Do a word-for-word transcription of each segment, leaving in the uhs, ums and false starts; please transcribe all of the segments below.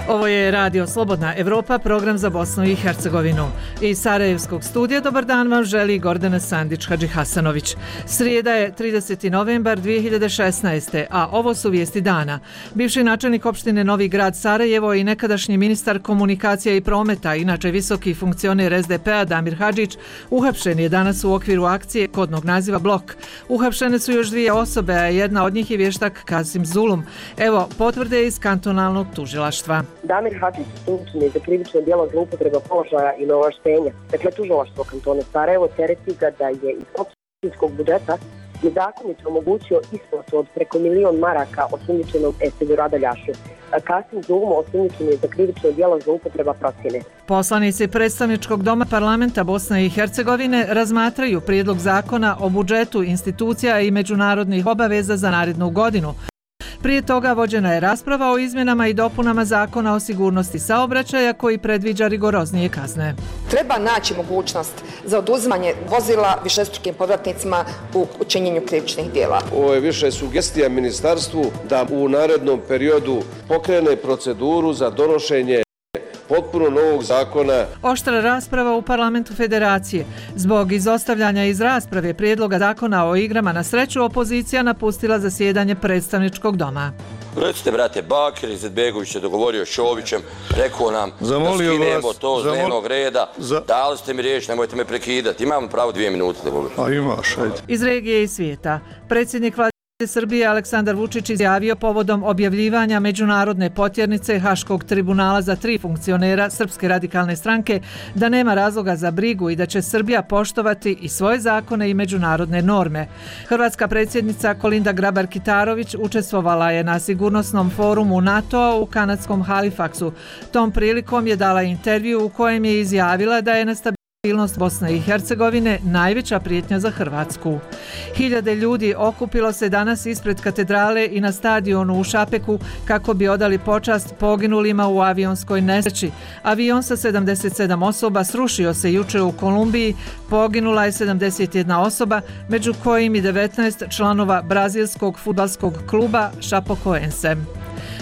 Ovo je Radio Slobodna Evropa, program za Bosnu i Hercegovinu. Iz Sarajevskog studija dobar dan vam želi Gordana Sandić-Hadžihasanović. Srijeda je trideseti novembar dvije hiljade šesnaeste. a ovo su vijesti dana. Bivši načelnik opštine Novi Grad Sarajevo i nekadašnji ministar komunikacija i prometa, inače visoki funkcioner es de pe-a Damir Hadžić, uhapšen je danas u okviru akcije kodnog naziva Blok. Uhapšene su još dvije osobe, a jedna od njih je vještak Kasim Zulum. Evo potvrde iz kantonalnog tužilaštva. Damir Hadžić osumnjičen je za krivično djelo zloupotreba položaja i neovlaštenja. Dakle, tužilaštvo kantona Sarajevo tereti ga da je iz općinskog budžeta nezakonito omogućio isplatu od preko milion maraka osumnjičenom Esedu Radaljašu. Kasim Zulum osumnjičen je za krivično djelo zloupotreba procjene. Poslanici predstavničkog doma parlamenta Bosne i Hercegovine razmatraju prijedlog zakona o budžetu institucija i međunarodnih obaveza za narednu godinu. Prije toga vođena je rasprava o izmjenama i dopunama zakona o sigurnosti saobraćaja koji predviđa rigoroznije kazne. Treba naći mogućnost za oduzimanje vozila višestrukim povratnicima u učinjenju krivičnih djela. Ovo je više sugestija ministarstvu da u narednom periodu pokrene proceduru za donošenje potpuno novog zakona. Oštra rasprava u parlamentu federacije. Zbog izostavljanja iz rasprave prijedloga zakona o igrama na sreću, opozicija napustila zasjedanje predstavničkog doma. Recite, brate, Bakir Izetbegović je dogovorio s Šovićem, rekao nam zamolio da skinemo vas, to s zamol... dnevnog reda, za... dali ste mi riječ, nemojte me prekidati. Imamo pravo dvije minute da govorim. A imaš, ajde. Iz regije i svijeta. Predsjednik vlade Srbije Aleksandar Vučić izjavio povodom objavljivanja međunarodne potjernice Haškog tribunala za tri funkcionera Srpske radikalne stranke da nema razloga za brigu i da će Srbija poštovati i svoje zakone i međunarodne norme. Hrvatska predsjednica Kolinda Grabar-Kitarović učestvovala je na sigurnosnom forumu NATO-a u kanadskom Halifaxu. Tom prilikom je dala intervju u kojem je izjavila da je nestabilnost Stabilnost Bosne i Hercegovine najveća prijetnja za Hrvatsku. Hiljade ljudi okupilo se danas ispred katedrale i na stadionu u Šapeku kako bi odali počast poginulima u avionskoj nesreći. Avion sa sedamdeset sedam osoba srušio se juče u Kolumbiji, poginula je sedamdeset jedna osoba, među kojim i devetnaest članova brazilskog fudbalskog kluba Chapecoense.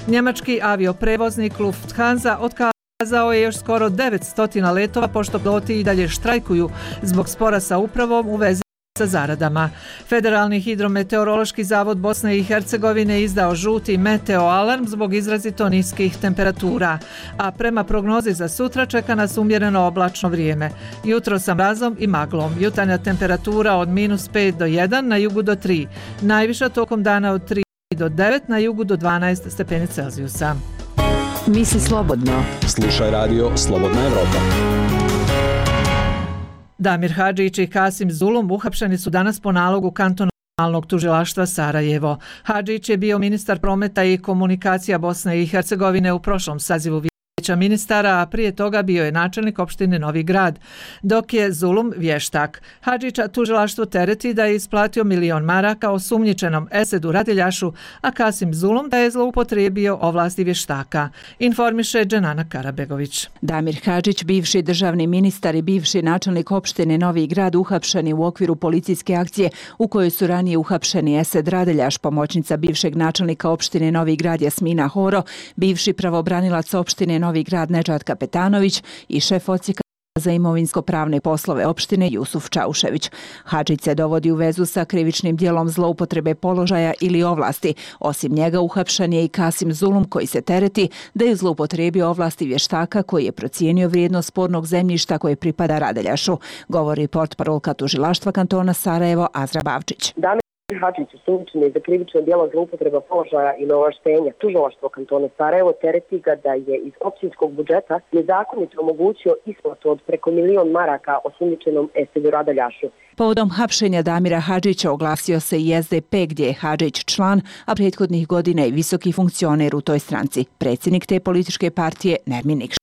Njemački avioprevoznik Lufthansa otkazao Kazao je još skoro devetsto letova pošto piloti i dalje štrajkuju zbog spora sa upravom u vezi sa zaradama. Federalni hidrometeorološki zavod Bosne i Hercegovine izdao žuti meteo alarm zbog izrazito niskih temperatura, a prema prognozi za sutra čeka nas umjereno oblačno vrijeme. Jutro sa mrazom i maglom. Jutarnja temperatura od minus pet do jedan, na jugu do tri. Najviša tokom dana od tri do devet, na jugu do dvanaest stepeni Celzijusa. Misli slobodno. Slušaj radio Slobodna Evropa. Damir Hadžić i Kasim Zulum uhapšeni su danas po nalogu kantonalnog tužilaštva Sarajevo. Hadžić je bio ministar prometa i komunikacija Bosne i Hercegovine u prošlom sazivu vijeća ministara, a prije toga bio je načelnik opštine Novi Grad, dok je Zulum vještak. Hadžića tužilaštvo tereti da je isplatio milion maraka osumnjičenom Esedu Radaljašu, a Kasim Zulum da je zloupotrijebio ovlasti vještaka. Informiše Dženana Karabegović. Damir Hadžić, bivši državni ministar i bivši načelnik opštine Novi Grad, uhapšeni u okviru policijske akcije u kojoj su ranije uhapšeni Esed Radaljaš, pomoćnica bivšeg načelnika opštine Novi Grad Jasmina Horo, bivši pravobranilac opštine Novi Grad Nedžad Kapetanović i šef odsjeka za imovinsko-pravne poslove opštine Jusuf Čaušević. Hadžić se dovodi u vezu sa krivičnim djelom zloupotrebe položaja ili ovlasti. Osim njega uhapšen je i Kasim Zulum koji se tereti da je zloupotrijebio ovlasti vještaka koji je procijenio vrijednost spornog zemljišta koje pripada Radaljašu, govori portparolka tužilaštva kantona Sarajevo Azra Bavčić. Hadžić osumnjičen je za krivično djelo zloupotreba položaja i neovlaštenja. Tužilaštvo kantona Sarajevo tereti ga da je iz općinskog budžeta nezakonito omogućio isplatu od preko milion maraka osumnjičenom Esedu Radaljašu. Povodom hapšenja Damira Hadžića oglasio se i es de pe gdje je Hadžić član, a prethodnih godina i visoki funkcioner u toj stranci, predsjednik te političke partije Nermin Nikšić.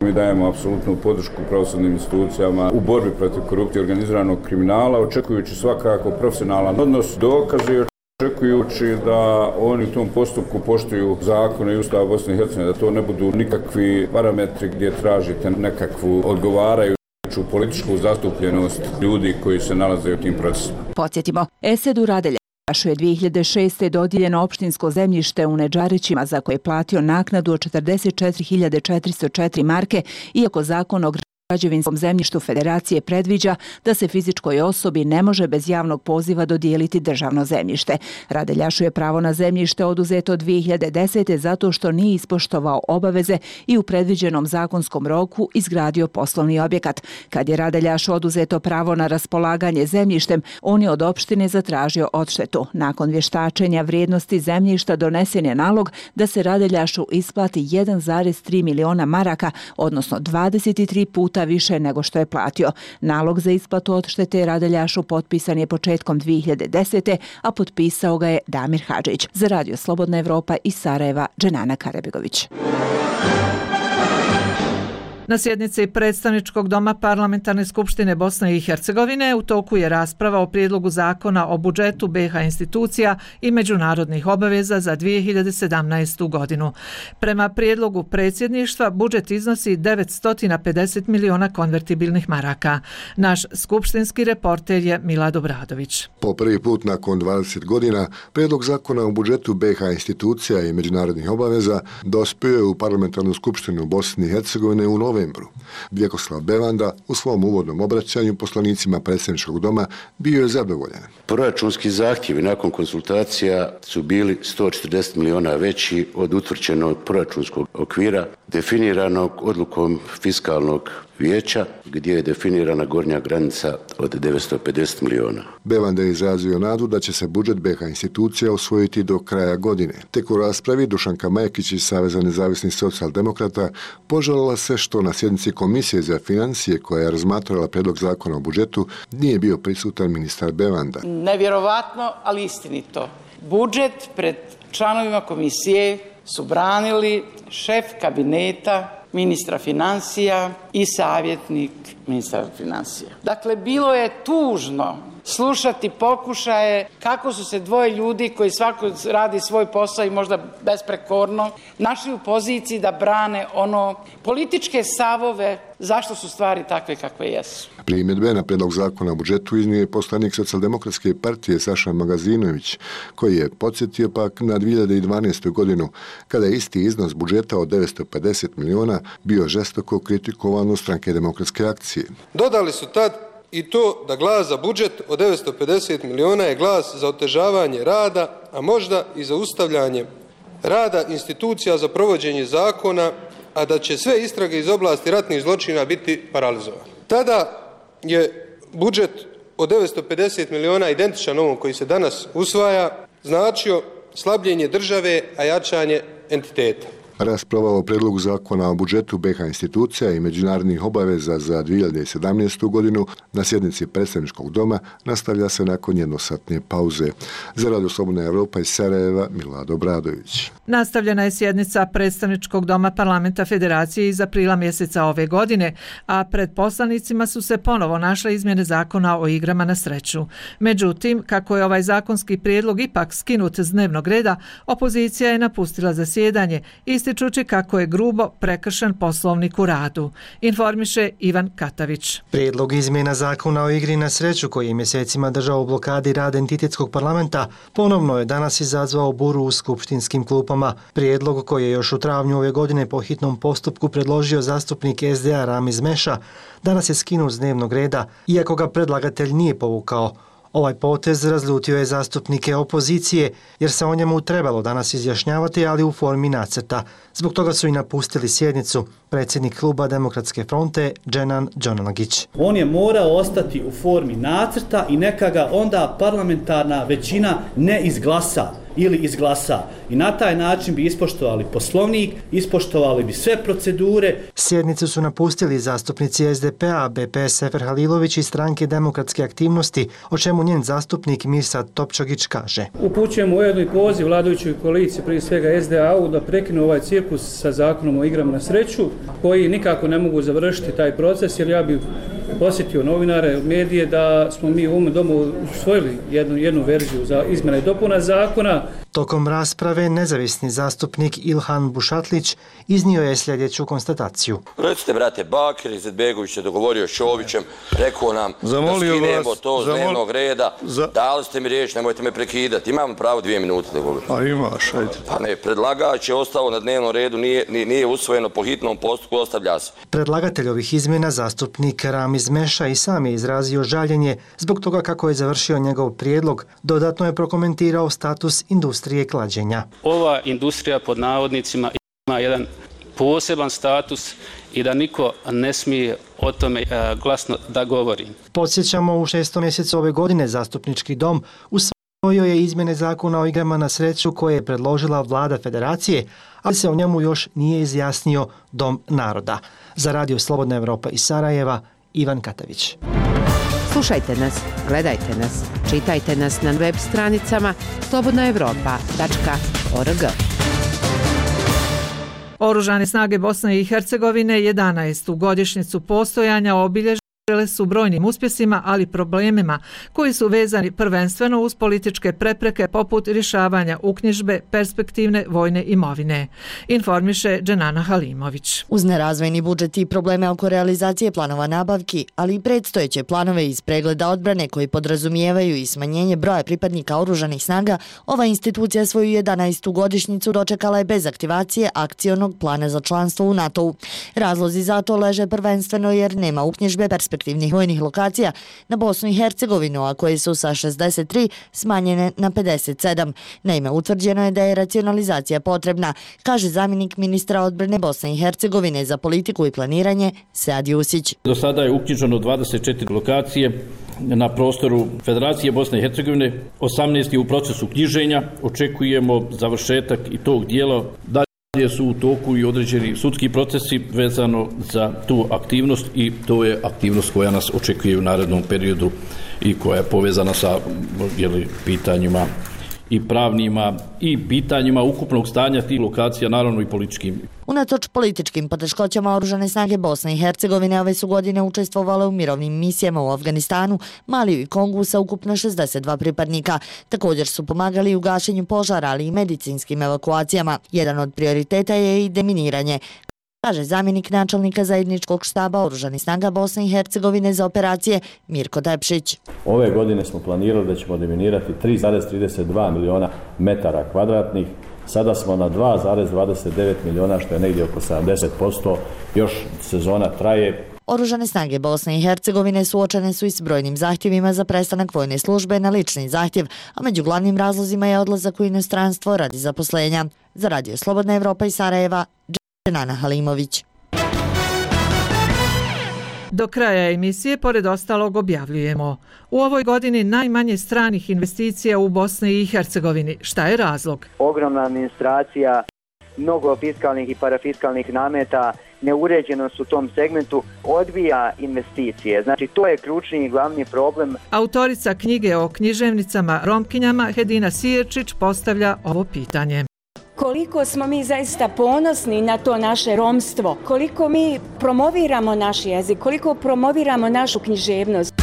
Mi dajemo apsolutnu podršku pravosudnim institucijama u borbi protiv korupcije i organiziranog kriminala, očekujući svakako profesionalan odnos, dokaze, očekujući da oni u tom postupku poštuju zakone i Ustav Bosne i Hercegovine, da to ne budu nikakvi parametri gdje tražite nekakvu odgovarajuću veću političku zastupljenost ljudi koji se nalaze u tim procesima. Podsjetimo, Esedu Radeljašu je dvije hiljade šeste. dodijeljeno opštinsko zemljište u Nedžarićima za koje je platio naknadu od četrdeset četiri hiljade četiristo četiri marke, iako zakon o građevinskom zemljištu Federacije predviđa da se fizičkoj osobi ne može bez javnog poziva dodijeliti državno zemljište. Radeljašu je pravo na zemljište oduzeto dvije hiljade desete. zato što nije ispoštovao obaveze i u predviđenom zakonskom roku izgradio poslovni objekat. Kad je Radeljašu oduzeto pravo na raspolaganje zemljištem, on je od opštine zatražio odštetu. Nakon vještačenja vrijednosti zemljišta donesen je nalog da se Radeljašu isplati jedan zarez tri miliona maraka, odnosno dvadeset tri puta više nego što je platio. Nalog za isplatu odštete Radeljašu potpisan je početkom dvije hiljade desete. a potpisao ga je Damir Hadžić. Za Radio Slobodna Evropa iz Sarajeva, Dženana Karabegović. Na sjednici Predstavničkog doma Parlamentarne skupštine Bosne i Hercegovine u toku je rasprava o prijedlogu zakona o budžetu be ha institucija i međunarodnih obaveza za dvije hiljade sedamnaestu. godinu. Prema prijedlogu predsjedništva budžet iznosi devetsto pedeset miliona konvertibilnih maraka. Naš skupštinski reporter je Milad Obradović. Po prvi put nakon dvadeset godina prijedlog zakona o budžetu be ha institucija i međunarodnih obaveza dospio je u Parlamentarnu skupštinu Bosne i Hercegovine u novembru. Vjekoslav Bevanda u svom uvodnom obraćanju poslanicima Predstavničkog doma bio je zadovoljan. Proračunski zahtjevi nakon konsultacija su bili sto četrdeset miliona veći od utvrđenog proračunskog okvira definiranog odlukom fiskalnog vijeća gdje je definirana gornja granica od devetsto pedeset miliona. Bevanda je izrazio nadu da će se budžet be ha institucija usvojiti do kraja godine. Tek u raspravi Dušanka Majekić iz Saveza nezavisnih socijaldemokrata požalila se što na sjednici Komisije za financije koja je razmatrala prijedlog zakona o budžetu nije bio prisutan ministar Bevanda. Nevjerovatno, ali istinito. Budžet pred članovima komisije su branili šef kabineta ministra financija i savjetnik ministra financija. Dakle, bilo je tužno slušati pokušaje kako su se dvoje ljudi koji svako radi svoj posao i možda besprekorno našli u poziciji da brane ono političke savove zašto su stvari takve kakve jesu. Primjedbe na prijedlog zakona o budžetu iznio je poslanik Socijaldemokratske partije Saša Magazinović, koji je podsjetio pak na dvije hiljade dvanaestu. godinu, kada je isti iznos budžeta od devetsto pedeset miliona bio žestoko kritikovan od Stranke demokratske akcije. Dodali su tad i to da glas za budžet od devetsto pedeset miliona je glas za otežavanje rada, a možda i za ustavljanje rada institucija za provođenje zakona, a da će sve istrage iz oblasti ratnih zločina biti paralizovane. Tada je budžet od devetsto pedeset miliona identičan ovom koji se danas usvaja, značio slabljenje države, a jačanje entiteta. Rasprava o prijedlogu zakona o budžetu be ha institucija i međunarodnih obaveza za dvije hiljade sedamnaestu. godinu na sjednici Predstavničkog doma nastavlja se nakon jednosatne pauze. Za Radio Slobodna Evropa iz Sarajeva, Milad Obradović. Nastavljena je sjednica Predstavničkog doma Parlamenta Federacije iz aprila mjeseca ove godine, a pred poslanicima su se ponovo našle izmjene zakona o igrama na sreću. Međutim, kako je ovaj zakonski prijedlog ipak skinut s dnevnog reda, opozicija je napustila zasjedanje, ističući kako je grubo prekršen poslovnik u radu. Informiše Ivan Katavić. Prijedlog izmjena zakona o igri na sreću koji je mjesecima držao u blokadi rada entitetskog parlamenta ponovno je danas izazvao buru u skupštinskim klupama. Prijedlog koji je još u travnju ove godine po hitnom postupku predložio zastupnik es de a Ramiz Meša danas je skinut s dnevnog reda, iako ga predlagatelj nije povukao. Ovaj potez razljutio je zastupnike opozicije jer se o njemu trebalo danas izjašnjavati, ali u formi nacrta. Zbog toga su i napustili sjednicu predsjednik kluba Demokratske fronte Dženan Đonanagić. On je morao ostati u formi nacrta i neka ga onda parlamentarna većina ne izglasa ili izglasa. I na taj način bi ispoštovali poslovnik, ispoštovali bi sve procedure. Sjednicu su napustili zastupnici es de pe a, be pe es Sefer Halilović i Stranke demokratske aktivnosti, o čemu njen zastupnik Mirsad Topčagić kaže. Upućujemo ujedno i poziv vladajućoj koaliciji, prije svega es de a-u, da prekinu ovaj cirkus sa zakonom o igrama na sreću, koji nikako ne mogu završiti taj proces, jer ja bih posjetio novinare, medije, da smo mi u ovom domu usvojili jednu, jednu verziju za izmjene i dopuna zakona. Tokom rasprave nezavisni zastupnik Ilhan Bušatlić iznio je sljedeću konstataciju. Recite, brate, Bakir Izetbegović je dogovorio s Čovićem, rekao nam Zamolio da skinemo vas, to s zamol... dnevnog reda, za... dali ste mi riječ, nemojte me prekidati. Imam pravo dvije minute da govorim. A imaš, ajde. Pa ne, predlagač je ostao na dnevnom redu, nije, nije usvojeno po hitnom postupku, ostavlja se. Predlagatelj ovih izmjena, zastupnik Ramiz Meša, i sam je izrazio žaljenje zbog toga kako je završio njegov prijedlog. Dodatno je prokomentirao status industrije klađenja. Ova industrija pod navodnicima ima jedan poseban status i da niko ne smije o tome glasno da govori. Podsjećamo, u šestom mjesecu ove godine zastupnički dom usvojio je izmjene zakona o igrama na sreću koje je predložila vlada federacije, ali se o njemu još nije izjasnio Dom naroda. Za Radio Slobodna Evropa iz Sarajeva, Ivan Katavić. Slušajte nas, gledajte nas, čitajte nas na web stranicama slobodna evropa tačka org. Oružane snage Bosne i Hercegovine jedanaestu godišnjicu postojanja obilježile su brojnim uspjesima, ali problemima koji su vezani prvenstveno uz političke prepreke poput rješavanja uknjižbe perspektivne vojne imovine. Informiše Dženana Halimović. Uz nerazvojni budžet i probleme oko realizacije planova nabavki, ali i predstojeće planove iz pregleda odbrane koji podrazumijevaju i smanjenje broja pripadnika oružanih snaga, ova institucija svoju jedanaestu godišnjicu dočekala je bez aktivacije akcionog plana za članstvo u NATO-u. Razlozi za to leže prvenstveno jer nema uknjižbe perspektivnih vojnih lokacija na Bosnu i Hercegovinu, a koje su sa šezdeset tri smanjene na pedeset sedam. Naime, utvrđeno je da je racionalizacija potrebna, kaže zamjenik ministra odbrane Bosne i Hercegovine za politiku i planiranje Sead Jusić. Do sada je uknjiženo dvadeset četiri lokacije na prostoru Federacije Bosne i Hercegovine, osamnaest je u procesu knjiženja, očekujemo završetak i tog dijela. Dalje su u toku i određeni sudski procesi vezano za tu aktivnost i to je aktivnost koja nas očekuje u narednom periodu i koja je povezana sa jeli, pitanjima i pravnima i pitanjima ukupnog stanja tih lokacija, naravno i političkim. Unatoč političkim poteškoćama oružane snage Bosne i Hercegovine ove su godine učestvovale u mirovnim misijama u Afganistanu, Maliju i Kongu sa ukupno šezdeset dva pripadnika. Također su pomagali u gašenju požara, ali i medicinskim evakuacijama. Jedan od prioriteta je i deminiranje, kaže zamjenik načelnika zajedničkog štaba oružanih snaga Bosne i Hercegovine za operacije Mirko Tepšić. Ove godine smo planirali da ćemo deminirati tri zarez trideset dva miliona metara kvadratnih. Sada smo na dva zarez dvadeset devet miliona, što je negdje oko sedamdeset posto. Još sezona traje. Oružane snage Bosne i Hercegovine suočene su i s brojnim zahtjevima za prestanak vojne službe na lični zahtjev, a među glavnim razlozima je odlazak u inostranstvo radi zaposlenja. Za Radio Slobodna Evropa iz Sarajeva, Dženana Halimović. Do kraja emisije, pored ostalog, objavljujemo: u ovoj godini najmanje stranih investicija u Bosni i Hercegovini. Šta je razlog? Ogromna administracija, mnogo fiskalnih i parafiskalnih nameta, neuređenost u tom segmentu odbija investicije. Znači, to je ključni i glavni problem. Autorica knjige o književnicama Romkinjama Hedina Sijerčić postavlja ovo pitanje. Koliko smo mi zaista ponosni na to naše romstvo, koliko mi promoviramo naš jezik, koliko promoviramo našu književnost.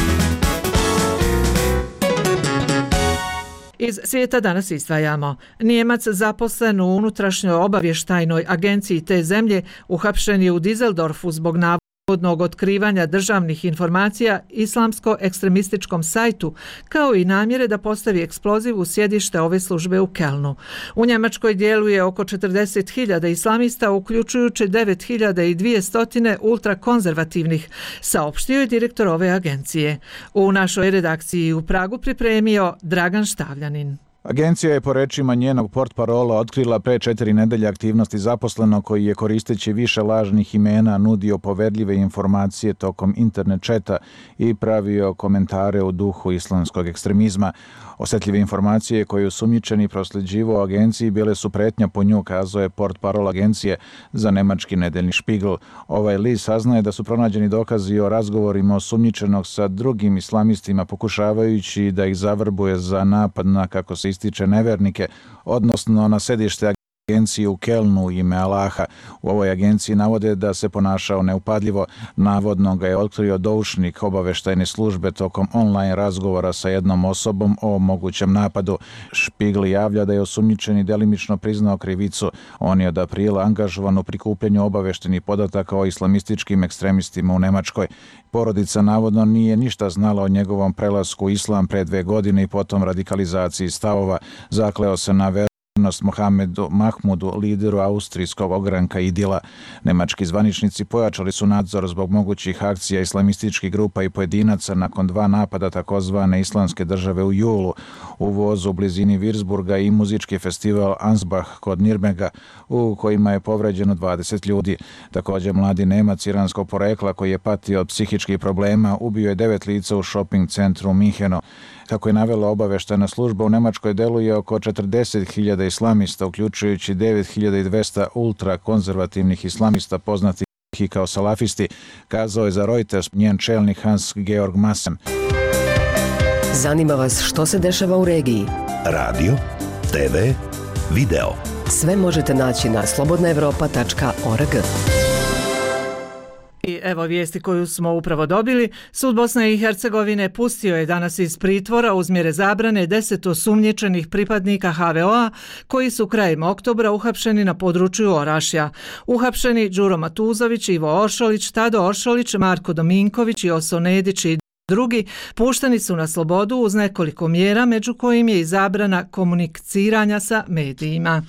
Iz svijeta danas izdvajamo: Nijemac zaposlen u unutrašnjoj obavještajnoj agenciji te zemlje uhapšen je u Dizeldorfu zbog navodnog otkrivanja državnih informacija islamsko-ekstremističkom sajtu, kao i namjere da postavi eksploziv u sjedište ove službe u Kelnu. U Njemačkoj djeluje oko četrdeset hiljada islamista, uključujući devet hiljada dvjesto ultrakonzervativnih, saopštio je direktor ove agencije. U našoj redakciji u Pragu pripremio Dragan Štavljanin. Agencija je po rečima njenog portparola otkrila pre četiri nedelje aktivnosti zaposlenog koji je koristeći više lažnih imena nudio poverljive informacije tokom internet četa i pravio komentare u duhu islamskog ekstremizma. Osjetljive informacije koje osumnjičeni prosljeđivao agenciji bile su pretnja po nju, kazao je portparol agencije za nemački nedeljni Špigl. Ovaj list saznaje da su pronađeni dokazi o razgovorima osumnjičenog sa drugim islamistima, pokušavajući da ih zavrbuje za napad na, kako se ističe, nevernike, odnosno na sedište agenciji u Kelnu u ime Alaha. U ovoj agenciji navode da se ponašao neupadljivo. Navodno ga je otkrio doušnik obaveštajne službe tokom online razgovora sa jednom osobom o mogućem napadu. Špigl javlja da je osumnjičeni delimično priznao krivicu. On je od aprila angažovan u prikupljanju obaveštenih podataka o islamističkim ekstremistima u Nemačkoj. Porodica navodno nije ništa znala o njegovom prelasku u islam pre dve godine i potom radikalizaciji stavova. Zakleo se na vernost Mohamedu Mahmudu, lideru austrijskog ogranka Idila. Nemački zvaničnici pojačali su nadzor zbog mogućih akcija islamističkih grupa i pojedinaca nakon dva napada takozvane islamske države u julu u vozu u blizini Würzburga i muzički festival Ansbach kod Nirnberga u kojima je povređeno dvadeset ljudi. Također mladi Nemac iranskog porekla koji je patio od psihičkih problema ubio je devet lica u shopping centru u Minhenu. Kako je navela obaveštajna služba, u Nemačkoj deluje oko četrdeset hiljada islamista, uključujući devet hiljada dvesta ultrakonzervativnih islamista poznatih i kao salafisti, kazao je za Reuters njen čelnik Hans-Georg Maassen. Zanima vas što se dešava u regiji? Radio, te ve, video. Sve možete naći na slobodna evropa tačka org. I evo vijesti koju smo upravo dobili. Sud Bosne i Hercegovine pustio je danas iz pritvora uz mjere zabrane deset osumnjičenih pripadnika ha ve o-a koji su krajem oktobra uhapšeni na području Orašja. Uhapšeni Đuro Matuzović, Ivo Oršolić, Tado Oršolić, Marko Dominković i Oso Nedić i drugi pušteni su na slobodu uz nekoliko mjera, među kojim je i zabrana komuniciranja sa medijima.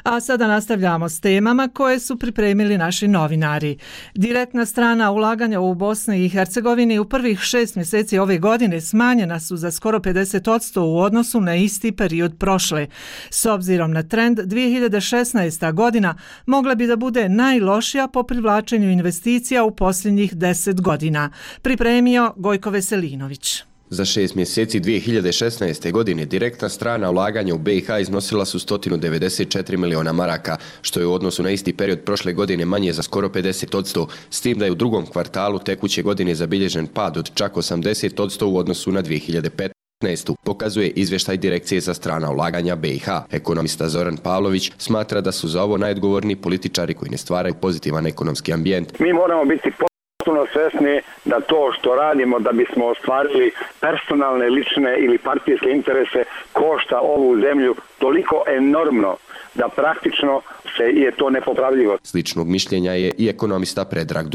A sada nastavljamo s temama koje su pripremili naši novinari. Direktna strana ulaganja u Bosni i Hercegovini u prvih šest mjeseci ove godine smanjena su za skoro pedeset posto u odnosu na isti period prošle. S obzirom na trend, dvije hiljade šesnaesta godina mogla bi da bude najlošija po privlačenju investicija u posljednjih deset godina. Pripremio Gojko Veselinović. Za šest mjeseci dvije hiljade šesnaeste. godine direktna strana ulaganja u be i ha iznosila su sto devedeset četiri miliona maraka, što je u odnosu na isti period prošle godine manje za skoro pedeset posto, s tim da je u drugom kvartalu tekuće godine zabilježen pad od čak osamdeset posto u odnosu na dvije hiljade petnaestu. Pokazuje izvještaj Direkcije za strana ulaganja be i ha. Ekonomista Zoran Pavlović smatra da su za ovo najodgovorniji političari koji ne stvaraju pozitivan ekonomski ambijent. Mi moramo biti potpuno svjesni da to što radimo da bismo ostvarili personalne, lične ili partijske interese košta ovu zemlju toliko enormno da praktično se je to nepopravljivo. Sličnog mišljenja je i ekonomista Predrag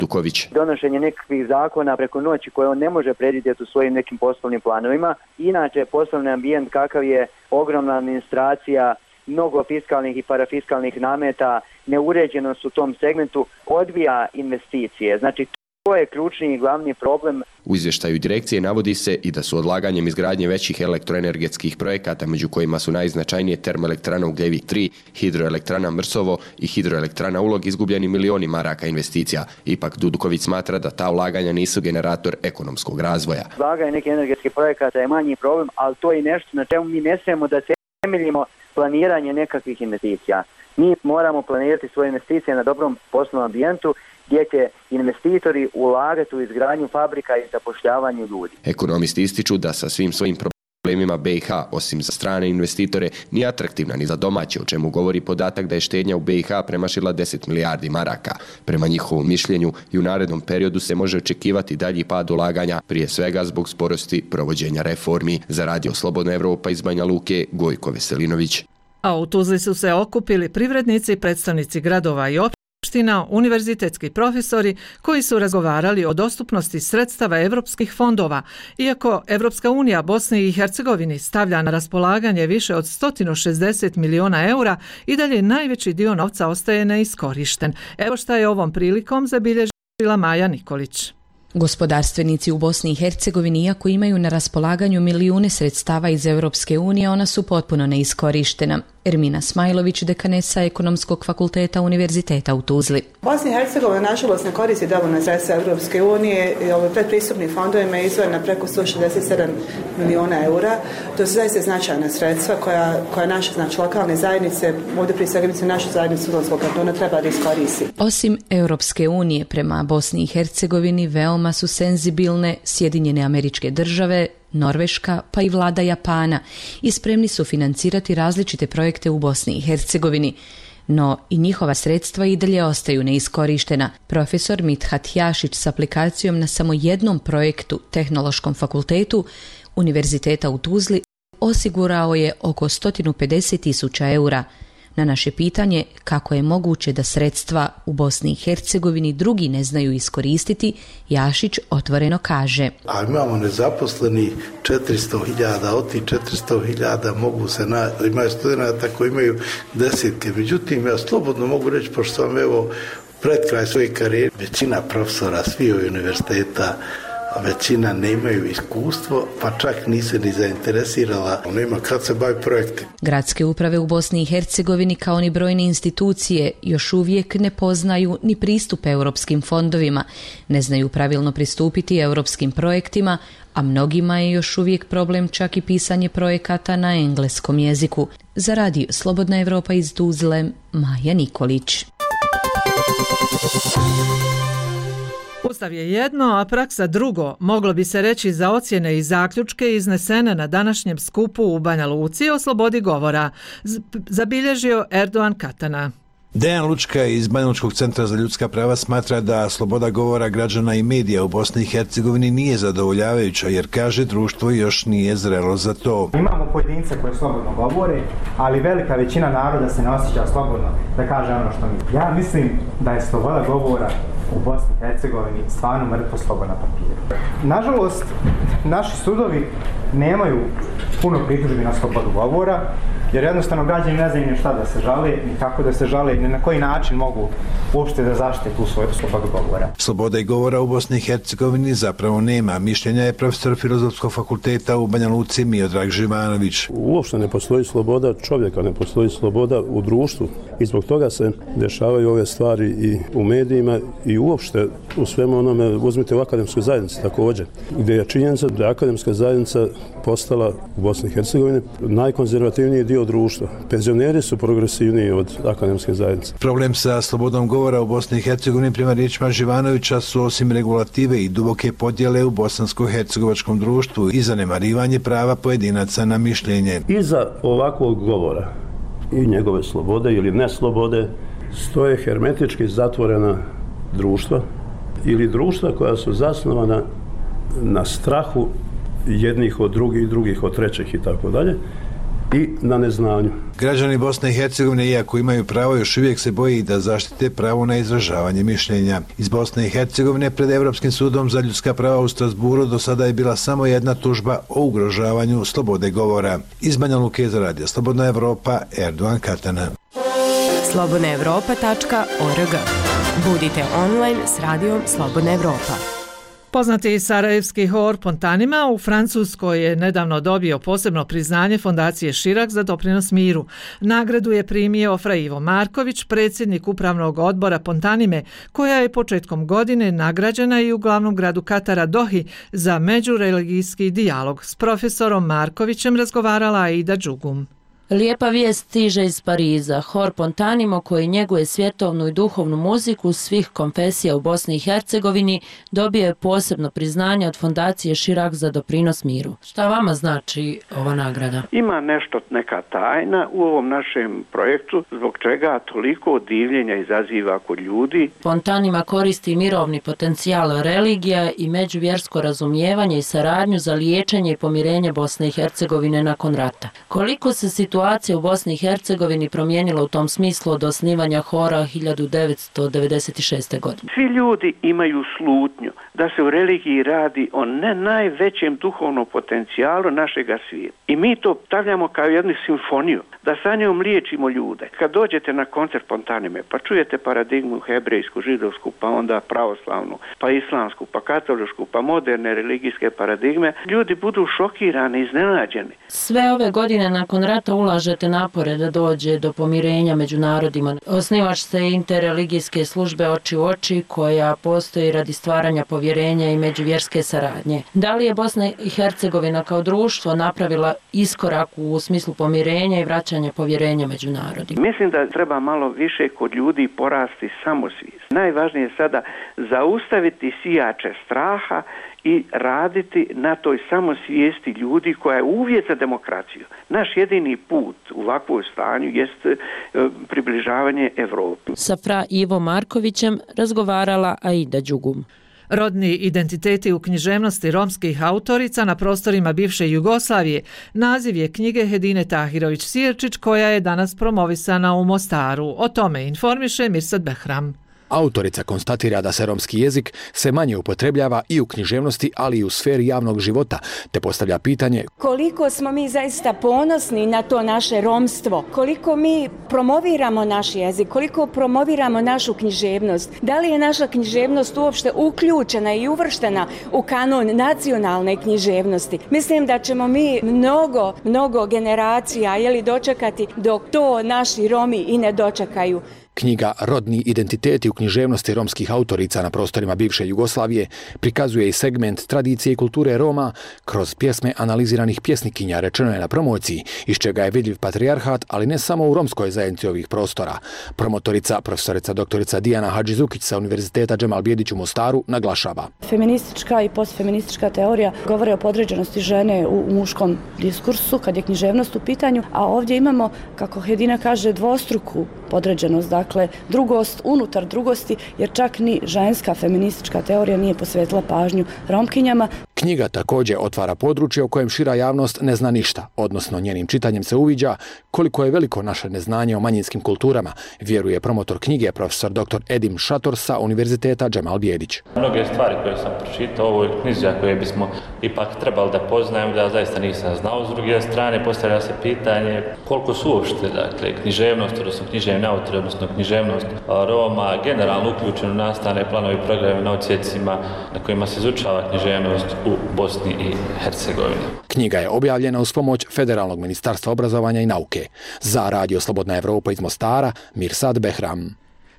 Duković. Donošenje nekakvih zakona preko noći koje on ne može predvidjeti u svojim nekim poslovnim planovima. Inače, poslovni ambijent kakav je, ogromna administracija, mnogo fiskalnih i parafiskalnih nameta, neuređenost u tom segmentu odbija investicije. Znači, to je ključni i glavni problem. U izvještaju direkcije navodi se i da su odlaganjem izgradnje većih elektroenergetskih projekata, među kojima su najznačajnije termoelektrana Ugljevik tri, hidroelektrana Mrsovo i hidroelektrana Ulog, izgubljeni milioni maraka investicija. Ipak Duduković smatra da ta ulaganja nisu generator ekonomskog razvoja. Ulaganje nekih energetskih projekata je manji problem, ali to je nešto na čemu mi ne smijemo da temeljimo planiranje nekakvih investicija. Mi moramo planirati svoje investicije na dobrom poslovnom ambijentu gdje će investitori ulagati u izgradnju fabrika i zapošljavanju ljudi. Ekonomisti ističu da sa svim svojim problemima be i ha, osim za strane investitore, nije atraktivna ni za domaće, o čemu govori podatak da je štednja u be i ha premašila deset milijardi maraka. Prema njihovom mišljenju i u narednom periodu se može očekivati dalji pad ulaganja, prije svega zbog sporosti provođenja reformi. Za Radio Slobodna Evropa iz Banja Luke, Gojko Veselinović. A u Tuzli su se okupili privrednici, predstavnici gradova i opština, univerzitetski profesori koji su razgovarali o dostupnosti sredstava evropskih fondova. Iako Evropska unija Bosni i Hercegovini stavlja na raspolaganje više od sto šezdeset miliona eura, i dalje najveći dio novca ostaje neiskorišten. Evo šta je ovom prilikom zabilježila Maja Nikolić. Gospodarstvenici u Bosni i Hercegovini, iako imaju na raspolaganju milijune sredstava iz Europske unije, ona su potpuno neiskorištena. Ermina Smajlović, dekanesa Ekonomskog fakulteta Univerziteta u Tuzli. Bosna i Hercegovina nažalost ne koristi dovoljno sredstva Europske unije i ovim predpristupnim fondovima je izdvojena preko sto šezdeset sedam miliona eura. To su zaista značajna sredstva koja, koja naše znači, lokalne zajednice, ovdje prije svega mislim našu zajednicu Tuzlanskog kantona treba da iskoristi. Osim Europske unije, prema Bosni i Hercegovini veoma su senzibilne Sjedinjene Američke Države, Norveška pa i vlada Japana i spremni su financirati različite projekte u Bosni i Hercegovini. No i njihova sredstva i dalje ostaju neiskorištena. Profesor Mithat Jašić s aplikacijom na samo jednom projektu Tehnološkom fakultetu Univerziteta u Tuzli osigurao je oko sto pedeset tisuća eura. Na naše pitanje kako je moguće da sredstva u Bosni i Hercegovini drugi ne znaju iskoristiti, Jašić otvoreno kaže: A imamo nezaposleni četiristo hiljada, od tih četiristo hiljada mogu se na, imaju studenta koji imaju desetke. Međutim, ja slobodno mogu reći, pošto sam evo pred kraj svoje karijere, većina profesora svih univerziteta, a većina nemaju iskustvo, pa čak nise ni zainteresirala, nema kad se bavi projekti. Gradske uprave u Bosni i Hercegovini kao ni brojne institucije još uvijek ne poznaju ni pristup europskim fondovima, ne znaju pravilno pristupiti europskim projektima, a mnogima je još uvijek problem čak i pisanje projekata na engleskom jeziku. Za radio Slobodna Evropa iz Tuzle, Maja Nikolić. Ustav je jedno, a praksa drugo, moglo bi se reći za ocjene i zaključke iznesene na današnjem skupu u Banja Luci o slobodi govora, zabilježio Erdogan Katana. Dejan Lučka iz Banjalučkog centra za ljudska prava smatra da sloboda govora građana i medija u Bosni i Hercegovini nije zadovoljavajuća, jer kaže društvo još nije zrelo za to. Imamo pojedince koji slobodno govore, ali velika većina naroda se ne osjeća slobodno da kaže ono što misli. Ja mislim da je sloboda govora u Bosni i Hercegovini stvarno mrtvo slovo na papiru. Nažalost, naši sudovi nemaju puno pritužbi na slobodu govora, jer jednostavno građani ne znaju ni šta da se žale, ni kako da se žale, ni na koji način mogu uopšte da zaštite tu svoju slobodu govora. Sloboda i govora u Bosni i Hercegovini zapravo nema. Mišljenja je profesor Filozofskog fakulteta u Banja Luci Miodrag Živanović. Uopšte ne postoji sloboda čovjeka, ne postoji sloboda u društvu i zbog toga se dešavaju ove stvari i u medijima i uopšte u svemu onome. Uzmite u akademskoj zajednici također, gdje je činjenica da je akademska zajednica postala u Bosni i Hercegovini najkonzervativniji dio društva. Penzioneri su progresivniji od akademske zajednice. Problem sa slobodom govora u Bosni i Hercegovini prema riječima Živanovića su osim regulative i duboke podjele u bosansko-hercegovačkom društvu i zanemarivanje prava pojedinaca na mišljenje. Iza ovakvog govora i njegove slobode ili neslobode stoje hermetički zatvorena društva ili društva koja su zasnovana na strahu jednih od drugih, drugih od trećih i tako dalje, i na neznanju. Građani Bosne i Hercegovine, iako imaju pravo, još uvijek se boji da zaštite pravo na izražavanje mišljenja. Iz Bosne i Hercegovine pred Europskim sudom za ljudska prava u Strasburu do sada je bila samo jedna tužba o ugrožavanju slobode govora. Iz Banja Luke za radio Slobodna Evropa, Erdogan Katana. slobodna evropa tačka org. Budite online s radijom Slobodna Evropa. Poznati sarajevski hor Pontanima u Francuskoj je nedavno dobio posebno priznanje Fondacije Širak za doprinos miru. Nagradu je primio Fra Ivo Marković, predsjednik upravnog odbora Pontanime, koja je početkom godine nagrađena i u glavnom gradu Katara Dohi za međureligijski dijalog. S profesorom Markovićem razgovarala Aida Đugum. Lijepa vijest stiže iz Pariza. Hor Pontanimo, koji njeguje svjetovnu i duhovnu muziku svih konfesija u Bosni i Hercegovini, dobio je posebno priznanje od Fondacije Širak za doprinos miru. Šta vama znači ova nagrada? Ima nešto, neka tajna u ovom našem projektu, zbog čega toliko divljenja izaziva kod ljudi. Pontanima koristi mirovni potencijal religija i međuvjersko razumijevanje i saradnju za liječenje i pomirenje Bosne i Hercegovine nakon rata. Koliko se situacija Situacija u Bosni i Hercegovini promijenila u tom smislu od osnivanja hora hiljadu devetsto devedeset šeste. godine? Svi ljudi imaju slutnju da se u religiji radi o ne najvećem duhovnom potencijalu našega svijeta. I mi to stavljamo kao jednu simfoniju, da sa njom liječimo ljude. Kad dođete na koncert Pontanime, pa čujete paradigmu hebrejsku, židovsku, pa onda pravoslavnu, pa islamsku, pa katoličku, pa moderne religijske paradigme, ljudi budu šokirani, iznenađeni. Sve ove godine nakon rata ulažete napore da dođe do pomirenja među narodima. Osnivač se interreligijske službe Oči u oči, koja postoji radi stvaranja povjerenja i međuvjerske saradnje. Da li je Bosna i Hercegovina kao društvo napravila iskorak u smislu pomirenja i vraćanja povjerenja među narodima? Mislim da treba malo više kod ljudi porasti samosvijest. Najvažnije je sada zaustaviti sijače straha i raditi na toj samosvijesti ljudi koja je uvjet za demokraciju. Naš jedini put u ovakvom stanju jest približavanje Evropi. Sa fra Ivo Markovićem razgovarala Aida Đugum. Rodni identiteti u književnosti romskih autorica na prostorima bivše Jugoslavije naziv je knjige Hedine Tahirović-Sierčić koja je danas promovisana u Mostaru. O tome informiše Mirsad Behram. Autorica konstatira da se romski jezik se manje upotrebljava i u književnosti, ali i u sferi javnog života, te postavlja pitanje koliko smo mi zaista ponosni na to naše romstvo, koliko mi promoviramo naš jezik, koliko promoviramo našu književnost, da li je naša književnost uopšte uključena i uvrštena u kanon nacionalne književnosti. Mislim da ćemo mi mnogo, mnogo generacija jeli, dočekati dok to naši Romi i ne dočekaju. Knjiga Rodni identiteti u književnosti romskih autorica na prostorima bivše Jugoslavije prikazuje i segment tradicije i kulture Roma kroz pjesme analiziranih pjesnikinja, rečeno je na promociji, iz čega je vidljiv patrijarhat, ali ne samo u romskoj zajednici ovih prostora. Promotorica, profesorica doktorica Dijana Hadžizukić sa Univerziteta Džemal Bijedić u Mostaru naglašava. Feministička i postfeministička teorija govore o podređenosti žene u muškom diskursu kad je književnost u pitanju, a ovdje imamo, kako Hedina kaže, dvostruku podređenost, dakle drugost unutar drugosti, jer čak ni ženska feministička teorija nije posvetila pažnju Romkinjama. Knjiga također otvara područje o kojem šira javnost ne zna ništa, odnosno njenim čitanjem se uviđa koliko je veliko naše neznanje o manjinskim kulturama, vjeruje promotor knjige profesor doktor Edim Šator sa Univerziteta Džemal Bijedić. Mnoge stvari koje sam pročitao u ovoj knjizi, koje bismo ipak trebali da poznajem, da zaista nisam znao. S druge strane, postavlja se pitanje koliko su uopšte, dakle, književnost, odnosno književni autori, odnosno književnost Roma, generalno uključeno nastavne planove i programe na odsjecima na kojima se izučava književnost u Bosni i Hercegovini. Knjiga je objavljena uz pomoć Federalnog ministarstva obrazovanja i nauke. Za Radio Slobodna Evropa iz Mostara, Mirsad Behram.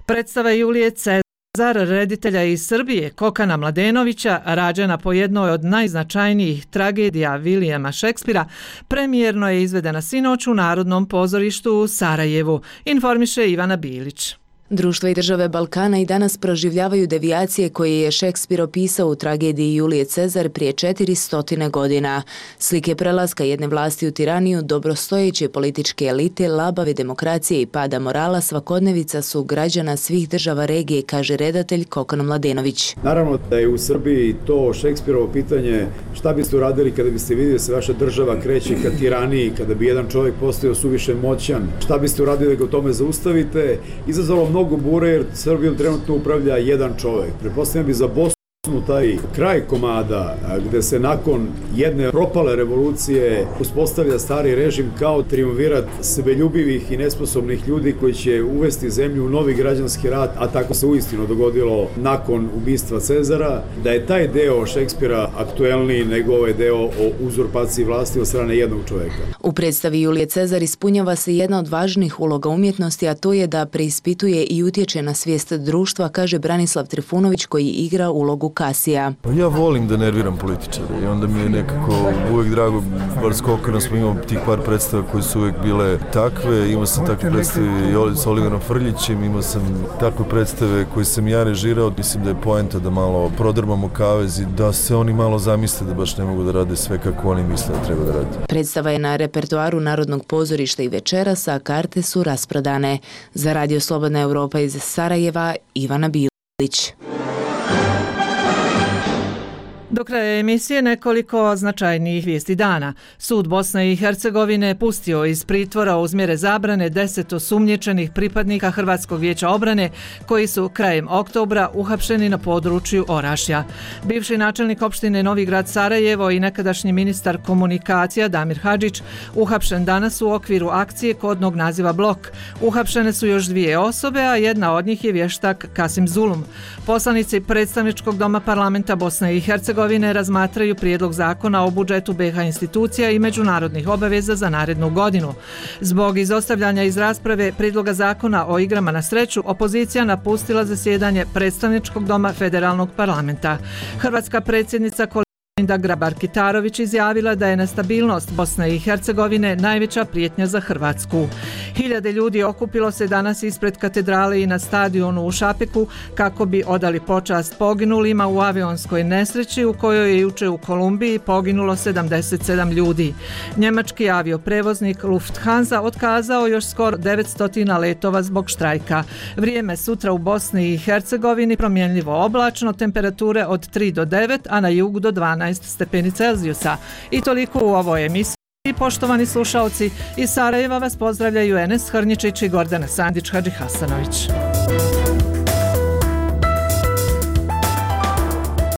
Predstava Julije Cezar, reditelja iz Srbije, Kokana Mladenovića, rađena po jednoj od najznačajnijih tragedija Vilijama Šekspira, premijerno je izvedena sinoć u Narodnom pozorištu u Sarajevu, informiše Ivana Bilić. Društva i države Balkana i danas proživljavaju devijacije koje je Šekspir opisao u tragediji Julije Cezar prije četiristo godina. Slike prelaska jedne vlasti u tiraniju, dobrostojeće političke elite, labave demokracije i pada morala svakodnevica su građana svih država regije, kaže redatelj Kokan Mladenović. Naravno da je u Srbiji to Šekspirovo pitanje šta biste uradili kada biste vidjeli da se vaša država kreće ka tiraniji, kada bi jedan čovjek postao suviše moćan, šta biste uradili da ga u tome zaustavite, izazvalo mnogo bure jer Srbijom trenutno upravlja jedan čovjek. Pretpostavljam bi za Bosnu taj kraj komada gde se nakon jedne propale revolucije uspostavlja stari režim kao triumvirat sebeljubivih i nesposobnih ljudi koji će uvesti zemlju u novi građanski rat, a tako se uistinu dogodilo nakon ubistva Cezara, da je taj deo Šekspira aktuelniji nego ovaj deo o uzurpaciji vlasti od strane jednog čovjeka. U predstavi Julije Cezar ispunjava se jedna od važnih uloga umjetnosti, a to je da preispituje i utječe na svijest društva, kaže Branislav Trifunović koji igra ulogu Kasija. Ja volim da nerviram političare i onda mi je nekako uvijek drago, bar s Kokanom smo imali tih par predstava koje su uvijek bile takve, imao sam takve predstave i s Oliverom Frljićem, imao sam takve predstave koje sam ja režirao, mislim da je poenta da malo prodrmamo kavez i da se oni malo zamisle da baš ne mogu da rade sve kako oni misle da treba da rade. Predstava je na repertoaru Narodnog pozorišta i večeras, a karte su rasprodane. Za Radio Slobodna Evropa iz Sarajeva, Ivana Bilić. Do kraja emisije nekoliko značajnijih vijesti dana. Sud Bosne i Hercegovine pustio iz pritvora uz mjere zabrane deset osumnjičenih pripadnika Hrvatskog vijeća obrane koji su krajem oktobra uhapšeni na području Orašja. Bivši načelnik opštine Novi Grad Sarajevo i nekadašnji ministar komunikacija Damir Hadžić uhapšen danas u okviru akcije kodnog naziva Blok. Uhapšene su još dvije osobe, a jedna od njih je vještak Kasim Zulum. Poslanici predstavničkog doma parlamenta Bosne i Hercegovine razmatraju prijedlog zakona o budžetu B iH institucija i međunarodnih obaveza za narednu godinu. Zbog izostavljanja iz rasprave prijedloga zakona o igrama na sreću, opozicija napustila zasjedanje predstavničkog doma federalnog parlamenta. Hrvatska predsjednica Kolinda Grabar-Kitarović izjavila da je nestabilnost Bosne i Hercegovine najveća prijetnja za Hrvatsku. Hiljade ljudi okupilo se danas ispred katedrale i na stadionu u Šapeku kako bi odali počast poginulima u avionskoj nesreći u kojoj je juče u Kolumbiji poginulo sedamdeset sedam ljudi. Njemački avioprevoznik Lufthansa otkazao još skoro devetsto letova zbog štrajka. Vrijeme sutra u Bosni i Hercegovini promjenljivo oblačno, temperature od tri do devet, a na jugu do dvanaest stepeni Celzijusa. I toliko u ovoj emisiji. Poštovani slušaoci, iz Sarajeva vas pozdravljaju Enes Hrnjičić i Gordana Sandić-Hadžihasanović.